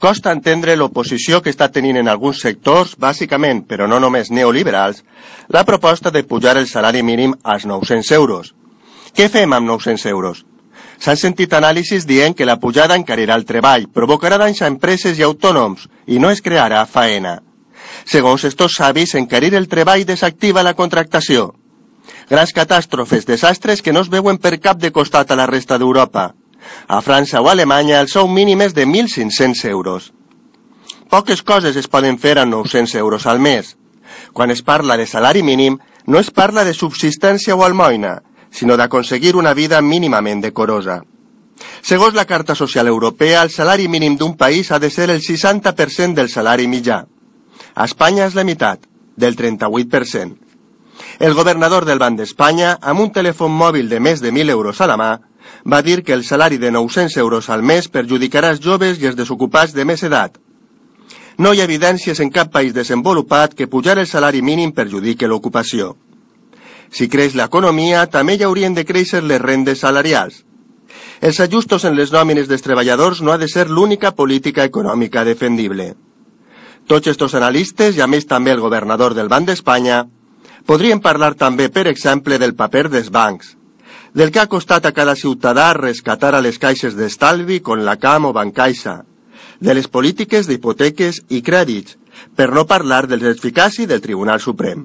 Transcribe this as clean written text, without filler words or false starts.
Costa entendre l'oposició que està tenint en alguns sectors, bàsicament, però no només neoliberals, la proposta de pujar el salari mínim als 900 euros. Què fem amb 900 euros? S'han sentit anàlisis dient que la pujada encarirà el treball, provocarà danys a empreses i autònoms i no es crearà faena. Segons estos savis, encarir el treball desactiva la contractació. Grans catàstrofes, desastres que no es veuen per cap de costat a la resta d'Europa. A França o a Alemanya el sou mínim és de 1.500 euros. Poques coses es poden fer amb 900 euros al mes. Quan es parla de salari mínim, no es parla de subsistència o almoina, sinó d'aconseguir una vida mínimament decorosa. Segons la Carta Social Europea, el salari mínim d'un país ha de ser el 60% del salari mitjà. A Espanya és la meitat, del 38%. El governador del Banc d'Espanya, amb un telèfon mòbil de més de 1.000 euros a la mà, va dir que el salari de 900 euros al mes perjudicarà els joves i els desocupats de més edat. No hi ha evidències en cap país desenvolupat que pujar el salari mínim perjudique l'ocupació. Si creix l'economia, també hi haurien de créixer les rendes salarials. Els ajustos en les nòmines dels treballadors no ha de ser l'única política econòmica defendible. Tots estos analistes, i a més també el governador del Banc d'Espanya, podrien parlar també, per exemple, del paper dels bancs, del que ha costat a cada ciutadà rescatar a les caixes d'estalvi com la CAM o Bancaixa, de les polítiques d'hipoteques i crèdits, per no parlar dels eficaci del Tribunal Suprem.